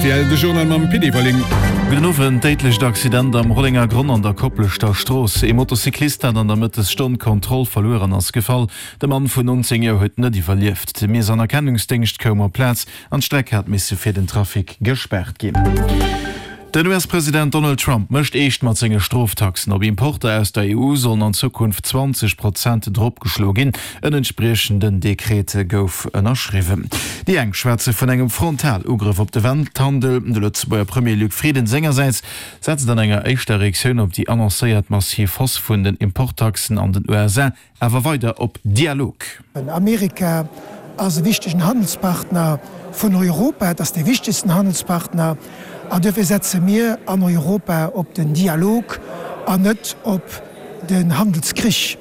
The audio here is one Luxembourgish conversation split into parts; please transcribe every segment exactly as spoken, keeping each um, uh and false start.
rtl, de Journal mam Pit Everling. Gudden Owend, Déidlecht Accident am Rollengergronn an der Kopleschter Strooss. Ee Motocyclist hat an der Mëttesstonn d'Kontroll verluer an ass gefall. De Mann vun nonzéng Joer huet net iwwerlieft. De Miess an Erkennungsdéngscht koum op d'Plaz an d'Streck hat misse fir den Trafic gespaart ginn. Den U S-President Donald Trump mécht eescht mat senge Stroftaxen. Op Importer aus der E U sollen an Zukunft zwanzeg Prozent dropgeschloe ginn. En entspriechenden Dekret gouf ënnerschriwwen. Déi eng schwätze vun engem Frontalugrëff op de Welthandel. De Lëtzebuerger Premier Luc Frieden sengersäits setzt an enger éischter Reaktioun op déi annoncéiert massiv Hausse vun den Importtaxen an den U S A awer weider op Dialog. Amerika ass e wichtegen Handelspartner vun Europa, et ass dee wichtegsten Handelspartner, an duerfir setze mir an Europa op den Dialog an net op den Handelskrich.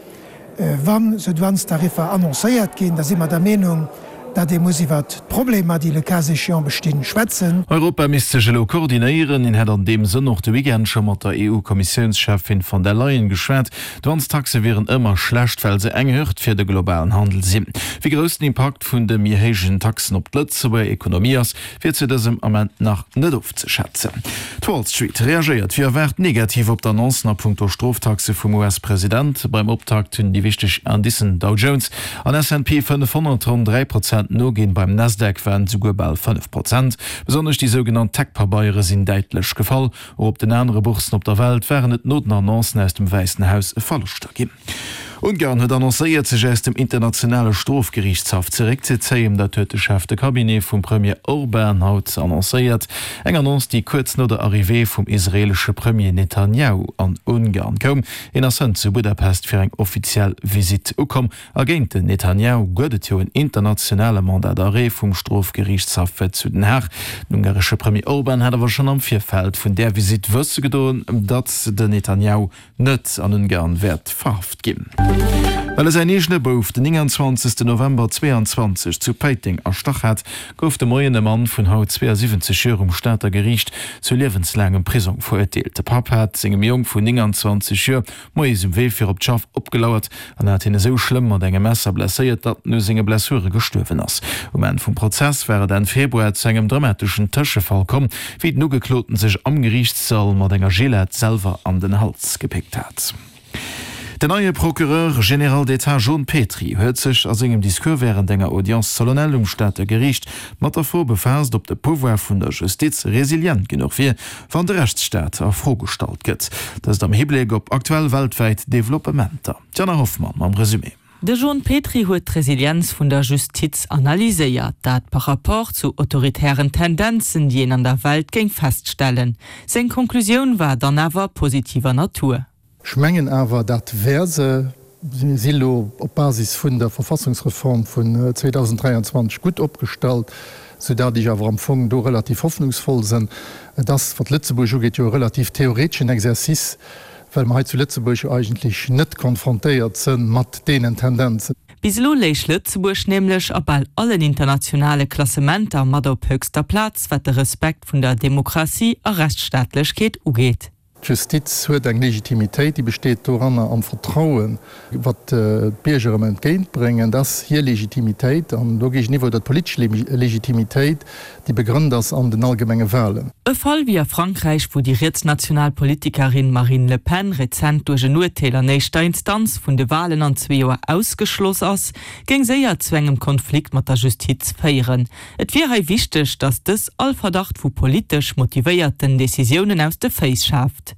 Wann esou Douanestariffer annoncéiert ginn, da si mer der Meenung, datt ee muss iwwert d'Problemer, déi le cas échéant bestinn, schwätzen. Europa misst sech elo koordinéieren. Hien hätt an deem Sënn och de Weekend scho mat der E U-Kommissiounscheffin von der Leyen geschwat. Douanestaxe wieren ëmmer schlecht, well se eng Hürd fir de globalen Handel sinn. Wéi grouss den Impakt vun de méi héijen Taxen op d'Lëtzebuerger Ekonomie ass, wier zu dësem Ament nach net ofzeschätzen. D'Wall Street reagéiert wéi erwaart negativ op d'Annoncen a punkto Stroftaxe vum U S-President. Beim Optakt hunn déi wichteg Indicen Dow Jones an S and P fënnefhonnert ronn dräi Prozent noginn, beim Nasdaq waren et souguer bal fënnef Prozent. Besonnesch déi sougenannt Tech-Pabeiere sinn däitlech gefall. Och op den anere Bourssen op der Welt waren et no den Annoncen aus dem Wäissen Haus Verloschter ginn. Ungarn huet annoncéiert, sech aus dem Internationale Strofgeriichtshaff zeréckzezéien. Dat huet de Chef de Cabinet vum Premier Orban haut annoncéiert. Eng Annonce, déi kuerz no der Arrivée vum israeelesche Premier Netanjahu an Ungarn koum. Hien ass hënt zu Budapest fir eng offiziell Visitt ukomm. A géint den Netanjahu gëtt et jo en internationale Mandat d'arrêt vum Strofgeriichtshaff zu Den Haag. Den ungaresche Premier Orban hat awer schonn am Virfeld vun där Visitt wësse gedoen, datt den Netanjahu net an Ungarn wäert verhaft ginn. Well e säin eegene Bouf den nénganzwanzegsten November zweeanzwanzeg zu Péiteng erstach hat, gouf de Moien e Mann vun haut zweeasiwwenzeg Joer um Stater Geriicht zu liewenslaangem Prisong verurteelt. De Papp hat sengem Jong vun nénganzwanzeg Joer moies um Wee fir op d'Schaff opgelauert an hat hien esou schlëmm mat engem Messer blesséiert, datt en u senge Blessure gestuerwen ass. Um Enn vum Prozess war et Enn Februar zu engem dramateschen Tëschefall komm, wéi den Ugekloten sech am Geriichtssall mat enger Gillette selwer an den Hals gepickt hat. Den neie Procureur général d'État Jon Petry huet sech a sengem Discours wärend enger Audience solennelle um Stater Geriicht mat der Fro befaasst, ob de Pouvoir vun der Justiz resilient genuch wier, wann de Rechtsstaat a Fro gestallt gëtt. Dëst am Hibléck op aktuell weltwäit Developpementer. D'Jana Hoffmann mam Resumé. De Jon Petry huet d'Resilienz vun der Justiz analyséiert, dat par rapport zu autoritären Tendenzen, déi een an der Welt géing feststellen. Seng Konklusioun war dann awer positiver Natur. Ech mengen awer, dat wär se. Mir si lo op Basis vun der Verfassungsreform vun zweedausenddräianzwanzeg gutt opgestallt, soudatt ech awer am Fong do relativ hoffnungsvoll sinn. Et ass, wat Lëtzebuerg ugeet, jo e relativ theoreteschen Exercice, well mer hei zu Lëtzebuerg jo eigentlech net konfrontéiert si mat deenen Tendenzen. Bis elo léich Lëtzebuerg nämlech a bal allen internationale Klassementer mat op höchster Plaz, wat de Respekt vun der Demokratie a Rechtsstaatlechkeet ugeet. D'Justiz huet eng Legitimitéit, déi besteet doranner am Vertrauen, wat d'Bierger em entgéintbréngen. Dat ass hir Legitimitéit an dogéigeniwwer huet d'politesch Legitimitéit, déi begrënnt ass an den allgemenge Wahlen. E Fall wéi a Frankräich, wou déi rietsnational Politikerin Marine Le Pen rezent duerch en Urteel an éischter Instanz vun de Wahlen an zwee Joer ausgeschloss ass, géing séier zu engem Konflikt mat der Justiz féieren. Et wier hei wichteg, datt dës all Verdacht vu politesch motivéierten Decisiounen aus de Féiss schaaft.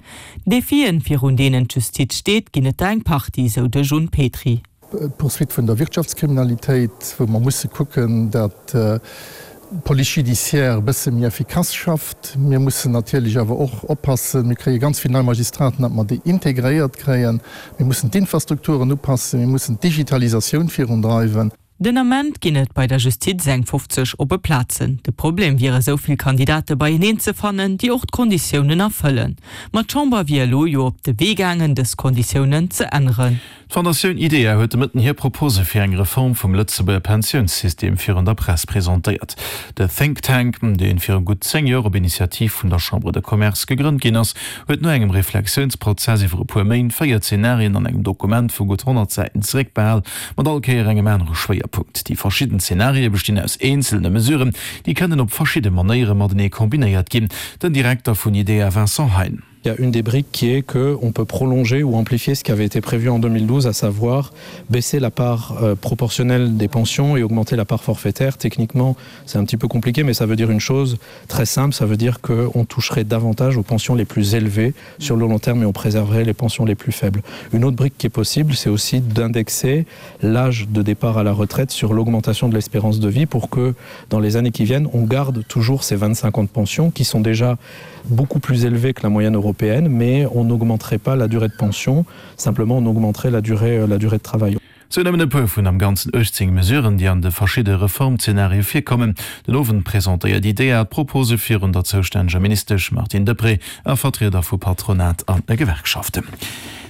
Defien, virun deenen d'Justiz steet, ginn et der eng Partie, sou de Jon Petry. D'Poursuite vun der Wirtschaftskriminalitéit, wou mer musse kucken, datt d'Police judiciaire e bësse méi effikass schafft. Mir mussen natierlech awer och oppassen, mir kréie ganz vill nei Magistraten, datt mer déi integréiert kréien. Mir mussen d'Infrastrukturen upassen, mir mussen d'Digitalisatioun virundreiwen. Den Ament ginn et bei der Justiz eng fofzeg oppe Plazen. De Problem wier esou vill Kandidate beieneen ze fannen, déi och d'Konditiounen erfëllen. Ma d'Chamber wier elo jo op de Wee gaangen, dës Konditiounen ze änneren. D'Fondatioun IDEA huet de Mëtten hir Propose fir eng Reform vum Lëtzebuerger Pensiounssystem virun der Press presentéiert. De Think Tank, dee viru gutt zéng Joer op Initiativ vun der Chambre de Commerce gegrënnt ginn ass, huet no engem Reflexiounsprozess iwwer e puer Méint véier Zenarien an engem Dokument vu gutt honnert Säiten zeréckbehal, mat all Kéier engem anere Schwéierpunkt. Schwéierpunkt. Déi verschidden Zenarie bestinn aus eenzelne Mesuren, déi kënnen op verschidde Manéiere matenee kombinéiert ginn. Den Direkter vun IDEA Vincent Hein. Il y a une des briques qui est que on peut prolonger ou amplifier ce qui avait été prévu en deux mille douze, à savoir baisser la part euh, proportionnelle des pensions et augmenter la part forfaitaire. Techniquement, c'est un petit peu compliqué, mais ça veut dire une chose très simple, ça veut dire qu'on toucherait davantage aux pensions les plus élevées sur le long terme et on préserverait les pensions les plus faibles. Une autre brique qui est possible, c'est aussi d'indexer l'âge de départ à la retraite sur l'augmentation de l'espérance de vie pour que dans les années qui viennent, on garde toujours ces vingt-cinq ans de pension qui sont déjà beaucoup plus élevés que la moyenne européenne, mais on n'augmenterait pas la durée de pension, simplement on augmenterait la durée, euh, la durée de travail. Sou nëmmen e puer vun am Ganzen uechtzéng Mesuren, déi an de verschidde Reformzenarie virkommen. Den Owend presentéiert IDEA d'Propose virun der zoustänneger Ministesch Martine Deprez a Vertrieder vu Patronat an Gewerkschaften.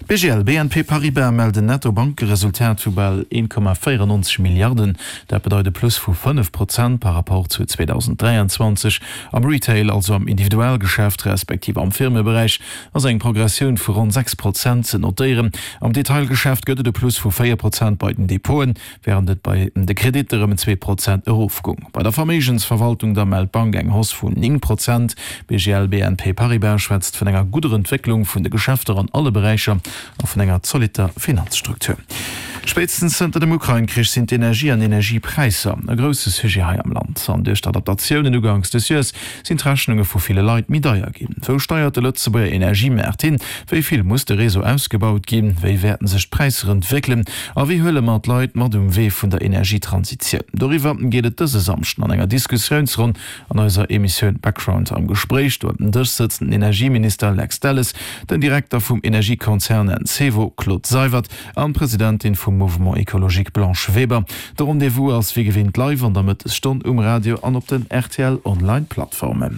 D'B G L B N P Paribas mellt en Netto-Bankeresultat vu bal een Komma véierennonzeg Milliarden. Dat bedeit e Plus vu fënnef Prozent par Rapport zu zweedausenddräianzwanzeg. Am Retail, also am Individualgeschäft respektiv am Firmeberäich, ass eng Progressioun vu ronn sechs Prozent ze notéieren. Am Detailgeschäft gëtt et e Plus vu véier Prozent bei den Depoten, wärend et bei de Kreditter ëm zwee Prozent erofgoung. Bei der Verméigensverwaltung da mellt d'Bank eng Hausse vun néng Prozent. B G L B N P Paribas schwätzt vun enger gudder Entwécklung vun de Geschäfter an alle Beräicher a vun enger zolitter Finanzstruktur. Spéitstens zënter dem Ukrain-Krich sinn d'Energie an Energiepräisser e grousse Sujet hei am Land. An duerch d'Adaptatiounen uganks des Joers sinn d'Rechnunge vu ville Leit méi deier ginn. Wou steiert de Lëtzebuerger Energiemaart hin? Wéi vill muss de Réseau ausgebaut ginn? Wéi wäerten sech d'Präisser entwéckelen? A wéi huele mer d'Leit mat um Wee vun der Energietransitioun? Doriwwer geet et dëse Samschden an enger Diskussiounsronn an eiser Emissioun Background am Gespréich. Do ëm den Dësch sëtzen den Energieminister Lex Delles, den Direkter vum Energiekonzern Encevo Claude Seywert an d'Presidentin vum Mouvement Ecologique Blanche Weber. De Rendez-vous ass wéi gewinnt live an der Mëttesstonn um Radio an op den R T L Online Plattformen.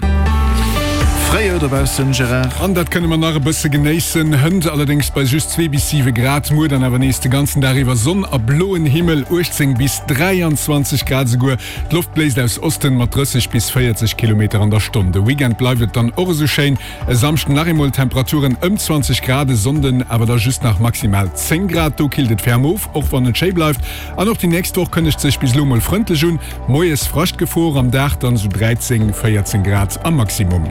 Fréijoer dobaussen, Gérard. An dat kënne mer nach e bësse genéissen. Hënt allerdéngs bei just zwee bis siwe Grad, muer dann awer nees de ganzen Dag iwwer Sonn a bloen Himmel, uechtzéng bis dräianzwanzeg Grad esouguer. D'Loft bléist aus Osten mat drësseg bis véierzeg Kilometer an der Stonn. De Weekend bleift et dann och esou schéin, e Samschden nach eemol Temperaturen ëm zwanzeg Grad, e Sonnden awer da just nach maximal zéng Grad. Do killt et ferm of, och wann et schéi bleift. An och déi nächst Woch kënnegt sech bis elo mol frëndlech un, moies Fraschtgefor, am Dag dann esou dräizéng, véierzéng Grad am Maximum.